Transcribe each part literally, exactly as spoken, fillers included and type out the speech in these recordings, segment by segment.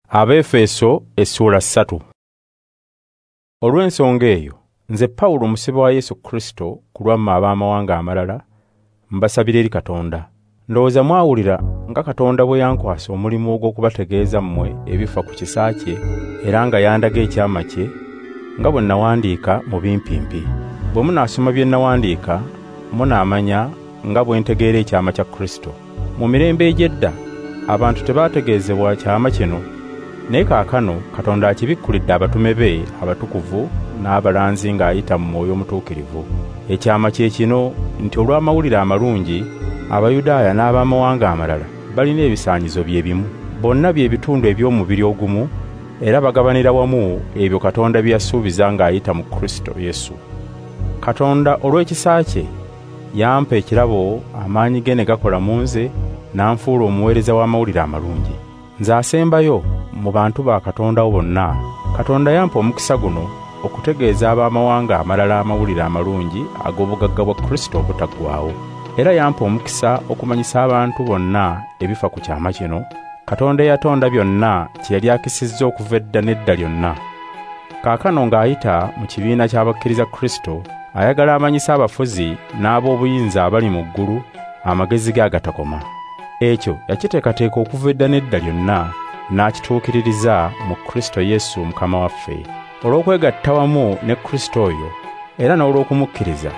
Abeefeso essuula ssatu. Olw'ensonga eyo, nze Pawulo omusibe wa Yesu Kristo ku lwammwe ab'amawanga amalala, mbasabira eri Katonda. Ndowooza mwawulira nga Katonda bwe yankwasa omulimu ogw'okubategeeza mmwe ebifa ku kisa kye, era nga yandaga ekyama kye, nga bwe nawandiika mu bimpimpi. Bwe munaasoma bye nawandiika, munaamanya nga bwe ntegeera ekyama kya Kristo. Mu mirembe egy'edda, abantu tebaategeezebwa kyama kino, naye kaakano Katonda akibikkulidde abatume be abatukuvu n'abalanzi ng'ayita mu Mwoyo Omutuukirivu. Ekyama kye kino nti olw'amawulire amalungi, Abayudaaya n'abamawanga amalala balina ebisaanyizo bye bimu. Bonna bye bitundu eby'omubiri ogumu, era bagabanira wamu ebyo Katonda bye yasuubiza ng'ayita mu Kristo Yesu. Katonda olw'ekisa kye yampa ekirabo, amaanyi ge ne gakola mu nze, n'anfuula omuweereza w'amawulire amalungi. Nze asembayo mu bantu ba Katonda bonna, Katonda yampa omukisa guno okutegeeza ab'amawanga amalala amawulire amalungi ag'obugagga bwa Kristo obutaggwaawo. Era yampa omukisa okumanyisa abantu bonna ebifa ku kyama kino, Katonda eyatonda byonna kye yali akisizza okuva edda n'edda lyonna. Kaakano ng'ayita mu kibiina ky'abakkiriza Kristo, ayagala amanyise abafuzi n'ab'obuyinza abali mu ggulu amagezi ge agatakoma. Ekyo yakiteekateeka okuva edda n'edda lyonna, n'akituukiririza mu Kristo Yesu Mukama waffe. Olw'okwegatta wamu ne Kristo oyo, era n'olw'okumukkiriza,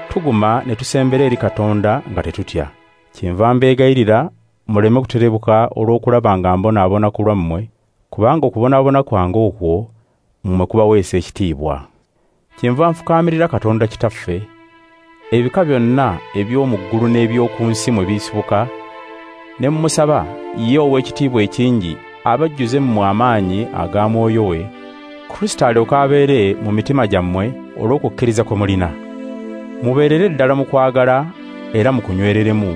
tuguma ne tusembera eri Katonda nga tetutya. Kyenva mbeegayirira muleme kuterebuka olw'okulaba nga mbonaabona ku lwammwe, kubanga okubonaabona kwange okwo mmwe kubaweesa ekitiibwa. Kyenva nfukaamirira Katonda Kitaffe, ebika byonna eby'omu ggulu n'eby'oku nsi mwe bisibuka, ne mmusaba ye ow'ekitiibwa ekingi abajjuze mmwe amaanyi aga Mwoyo we, Kristo alyoke abeere mu mitima gyammwe olw'okukkiriza kwe mulina. Mubeerere ddala mu kwagala era mukunywereremu,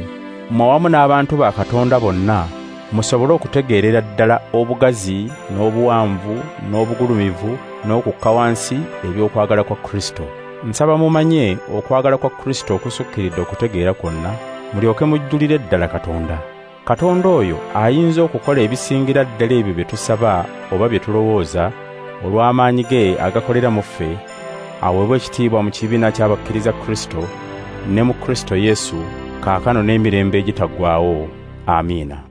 mmwe awamu n'abantu ba Katonda bonna, musobole okutegeerera ddala obugazi n'obuwanvu n'obugulumivu n'okukka wansi eby'okwagala kwa Kristo. Nsaba mumanye okwagala kwa Kristo okusukkiridde okutegeera kwonna, mulyoke mujjulire ddala Katonda. Katonda oyo ayinza okukola ebisingira ddala ebyo bye tusaba oba bye tulowooza, olw'amaanyi ge agakolera mu ffe, aweebwe ekitiibwa mu kibiina ky'abakkiriza Kristo ne mu Kristo Yesu kaakano n'emirembe egitaggwaawo. Amiina.